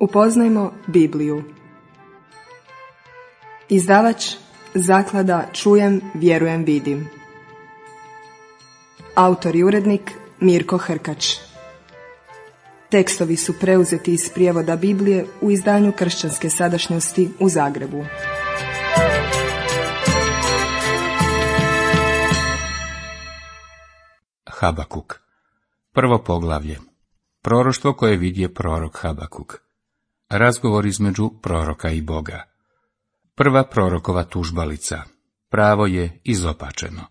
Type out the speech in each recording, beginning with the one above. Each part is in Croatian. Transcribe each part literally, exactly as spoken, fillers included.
Upoznajmo Bibliju. Izdavač Zaklada Čujem, vjerujem, vidim. Autor i urednik Mirko Hrkač. Tekstovi su preuzeti iz prijevoda Biblije u izdanju Kršćanske sadašnjosti u Zagrebu. Habakuk. Prvo poglavlje. Proroštvo koje vidje prorok Habakuk. Razgovor između proroka i Boga. Prva prorokova tužbalica. Pravo je izopačeno.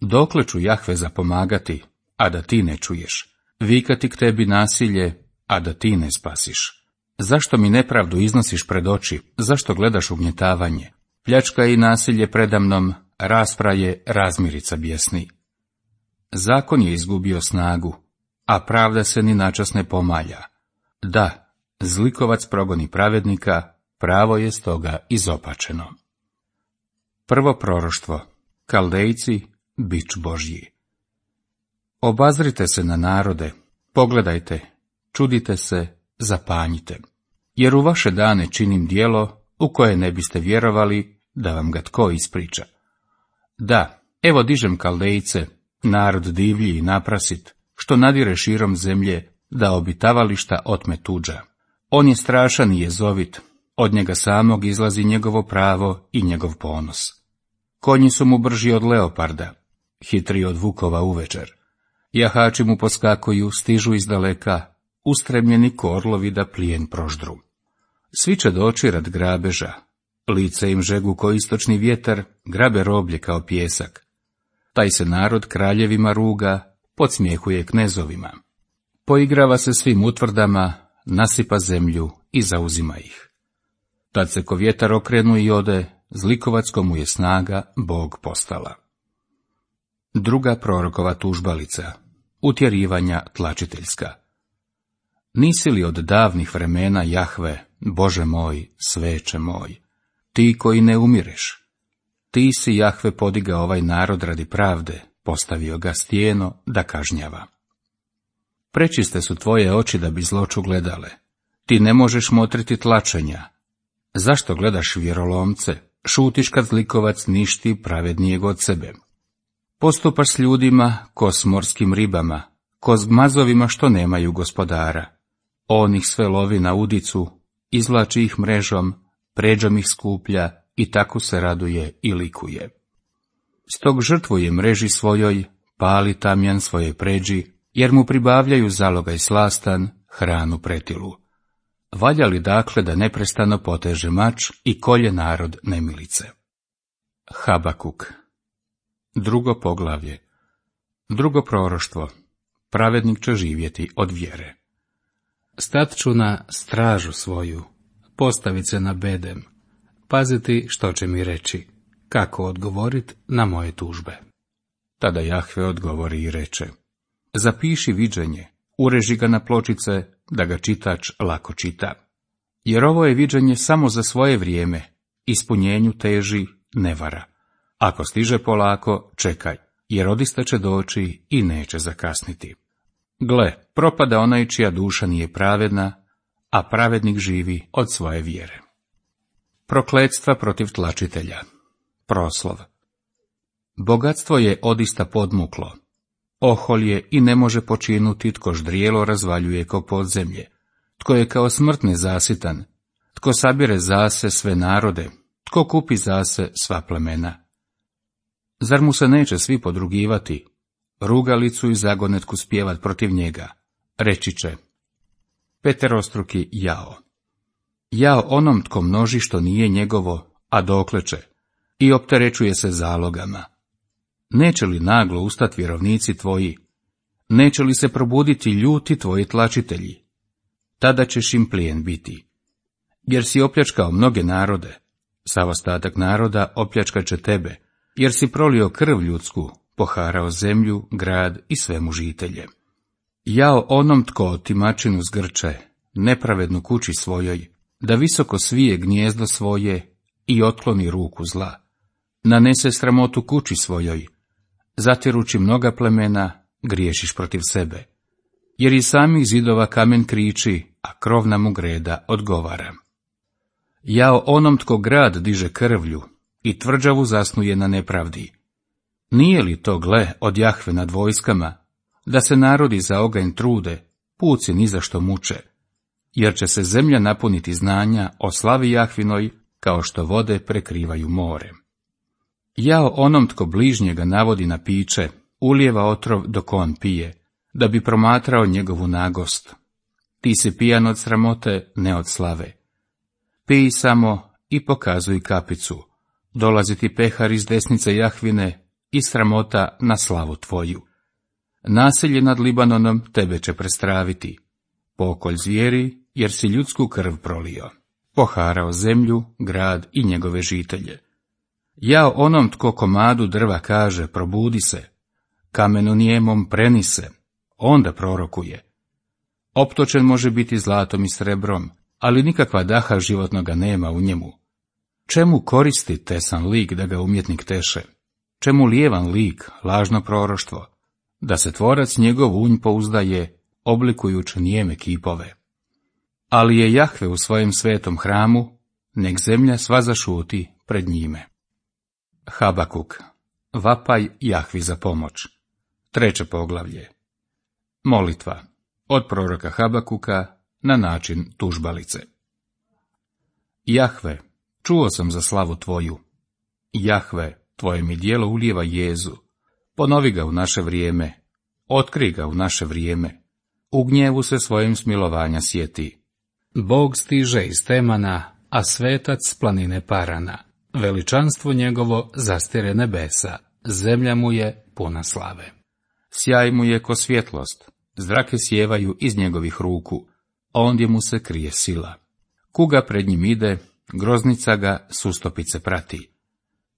Dokle ću Jahve zapomagati, a da ti ne čuješ? Vikati k tebi nasilje, a da ti ne spasiš? Zašto mi nepravdu iznosiš pred oči? Zašto gledaš ugnjetavanje? Pljačka i nasilje predamnom, raspraje, razmirica bjesni. Zakon je izgubio snagu, a pravda se ni načas ne pomalja. Da, zlikovac progoni pravednika, pravo je stoga izopačeno. Prvo proroštvo. Kaldejci, bič Božji. Obazrite se na narode, pogledajte, čudite se, zapanjite, jer u vaše dane činim djelo u koje ne biste vjerovali da vam ga tko ispriča. Da, evo dižem Kaldejce, narod divlji i naprasit, što nadire širom zemlje, da obitavališta otme tuđa. On je strašan i jezovit, od njega samog izlazi njegovo pravo i njegov ponos. Konji su mu brži od leoparda, hitri od vukova uvečer. Jahači mu poskakuju, stižu izdaleka, ustremljeni ko orlovi da plijen proždru. Svi će doći rad grabeža, lice im žegu ko istočni vjetar, grabe roblje kao pjesak. Taj se narod kraljevima ruga, podsmjehuje knezovima. Poigrava se svim utvrdama, nasipa zemlju i zauzima ih. Tad se ko vjetar okrenu i ode, zlikovac komu je snaga Bog postala. Druga prorokova tužbalica. Utjerivanja tlačiteljska. Nisi li od davnih vremena, Jahve, Bože moj, sveče moj, ti koji ne umireš? Ti si, Jahve, podigao ovaj narod radi pravde, postavio ga stijeno da kažnjava. Prečiste su tvoje oči da bi zloću gledale. Ti ne možeš motriti tlačenja. Zašto gledaš vjerolomce? Šutiš kad zlikovac ništi pravednijeg od sebe. Postupaš s ljudima ko s morskim ribama, ko s gmazovima što nemaju gospodara. On ih sve lovi na udicu, izvlači ih mrežom, pređom ih skuplja i tako se raduje i likuje. Stog žrtvuje mreži svojoj, pali tamjan svoje pređi, jer mu pribavljaju zalogaj slastan, hranu pretilu. Valja li dakle da neprestano poteže mač i kolje narod nemilice? Habakuk. Drugo poglavlje. Drugo proroštvo. Pravednik će živjeti od vjere. Stat ću na stražu svoju, postavit se na bedem, paziti što će mi reći, kako odgovorit na moje tužbe. Tada Jahve odgovori i reče: zapiši viđenje, ureži ga na pločice, da ga čitač lako čita. Jer ovo je viđenje samo za svoje vrijeme, ispunjenju teži, ne vara. Ako stiže polako, čekaj, jer odista će doći i neće zakasniti. Gle, propada onaj čija duša nije pravedna, a pravednik živi od svoje vjere. Prokletstva protiv tlačitelja. Proslov. Bogatstvo je odista podmuklo. Ohol je i ne može počinuti tko ždrijelo razvaljuje ko podzemlje, tko je kao smrt nezasitan, tko sabire zase sve narode, tko kupi zase sva plemena. Zar mu se neće svi podrugivati, rugalicu i zagonetku spjevat protiv njega? Reći će: peterostruki jao. Jao onom tko množi što nije njegovo, a dokleće, i opterećuje se zalogama. Neće li naglo ustat vjerovnici tvoji? Neće li se probuditi ljuti tvoji tlačitelji? Tada ćeš im plijen biti. Jer si opljačkao mnoge narode, sav ostatak naroda opljačkat će tebe, jer si prolio krv ljudsku, poharao zemlju, grad i svemu žitelje. Jao onom tko otimačinu zgrče, nepravednu kući svojoj, da visoko svije gnijezdo svoje i otkloni ruku zla. Nanese sramotu kući svojoj, zatirući mnoga plemena, griješiš protiv sebe. Jer iz samih zidova kamen kriči, a a krovna mu greda odgovara. Jao onom tko grad diže krvlju i tvrđavu zasnuje na nepravdi. Nije li to, gle, od Jahve nad vojskama, da se narodi za oganj trude, puci ni za što muče, jer će se zemlja napuniti znanja o slavi Jahvinoj, kao što vode prekrivaju more. Jao onom tko bližnjega navodi na piće, ulijeva otrov dok on pije, da bi promatrao njegovu nagost. Ti si pijan od sramote, ne od slave. Pij samo i pokazuj kapicu, dolazi ti pehar iz desnice Jahvine i sramota na slavu tvoju. Nasilje nad Libanonom tebe će prestraviti, pokolj zvijeri, jer si ljudsku krv prolio, poharao zemlju, grad i njegove žitelje. Jao onom tko komadu drva kaže, probudi se, kamenu nijemom preni se, onda prorokuje. Optočen može biti zlatom i srebrom, ali nikakva daha životnoga nema u njemu. Čemu koristi tesan lik da ga umjetnik teše? Čemu lijevan lik, lažno proroštvo? Da se tvorac njegov unj pouzdaje, oblikujući nijeme kipove. Ali je Jahve u svojem svetom hramu, nek zemlja sva zašuti pred njime. Habakuk. Vapaj Jahvi za pomoć. Treće poglavlje. Molitva. Od proroka Habakuka na način tužbalice. Jahve, čuo sam za slavu tvoju. Jahve, tvoje mi djelo ulijeva jezu. Ponovi ga u naše vrijeme. Otkri ga u naše vrijeme. U gnjevu se svojim smilovanja sjeti. Bog stiže iz Temana, a svetac s planine Parana. Veličanstvo njegovo zastire nebesa, zemlja mu je puna slave. Sjaj mu je ko svjetlost, zrake sjevaju iz njegovih ruku, ondje mu se krije sila. Kuga pred njim ide, groznica ga sustopice prati.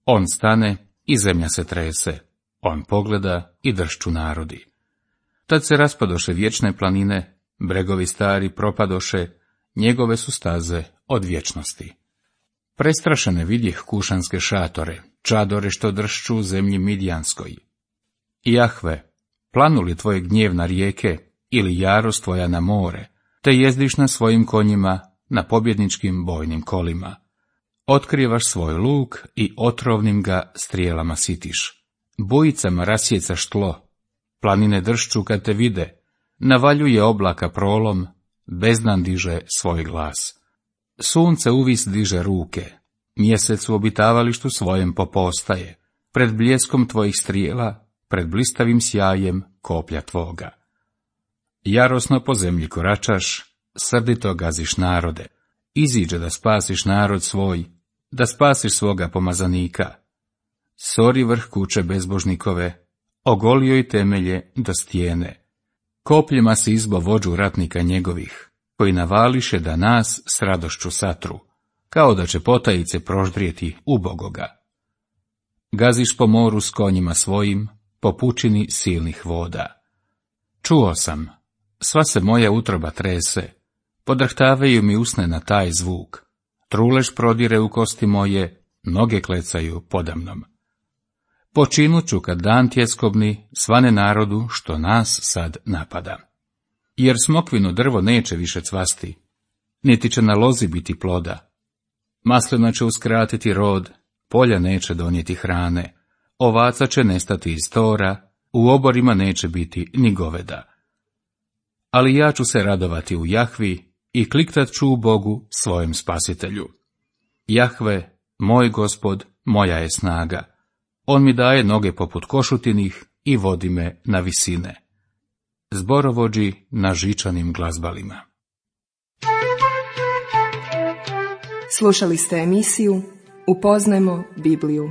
On stane i zemlja se trese, on pogleda i dršću narodi. Tad se raspadoše vječne planine, bregovi stari propadoše, njegove su staze od vječnosti. Prestrašene vidjeh kušanske šatore, čadore što dršću u zemlji Midjanskoj. Jahve, planu li tvoje gnjev na rijeke, ili jarost tvoja na more, te jezdiš na svojim konjima, na pobjedničkim bojnim kolima. Otkrivaš svoj luk i otrovnim ga strijelama sitiš. Bujicama rasjecaš tlo, planine dršću kad te vide, navaljuje oblaka prolom, bezdan diže svoj glas. Sunce uvis diže ruke, mjesec u obitavalištu svojem popostaje, pred bljeskom tvojih strijela, pred blistavim sjajem koplja tvoga. Jarosno po zemlji koračaš, srdito gaziš narode, iziđe da spasiš narod svoj, da spasiš svoga pomazanika. Sori vrh kuće bezbožnikove, ogolio i temelje do stijene. Kopljima si izbo vođu ratnika njegovih, koji navališe da nas s radošću satru, kao da će potajice proždrijeti ubogoga. Gaziš po moru s konjima svojim, po pučini silnih voda. Čuo sam, sva se moja utroba trese, podrhtavaju mi usne na taj zvuk, trulež prodire u kosti moje, noge klecaju podamnom. Počinuću kad dan tjeskobni svane narodu što nas sad napada. Jer smokvino drvo neće više cvasti, niti će na lozi biti ploda. Maslina će uskratiti rod, polja neće donijeti hrane, ovaca će nestati iz tora, u oborima neće biti ni goveda. Ali ja ću se radovati u Jahvi i kliktat ću u Bogu svojem spasitelju. Jahve, moj Gospod, moja je snaga. On mi daje noge poput košutinih i vodi me na visine. Zborovođi na žičanim glazbalima. Slušali ste emisiju Upoznajmo Bibliju.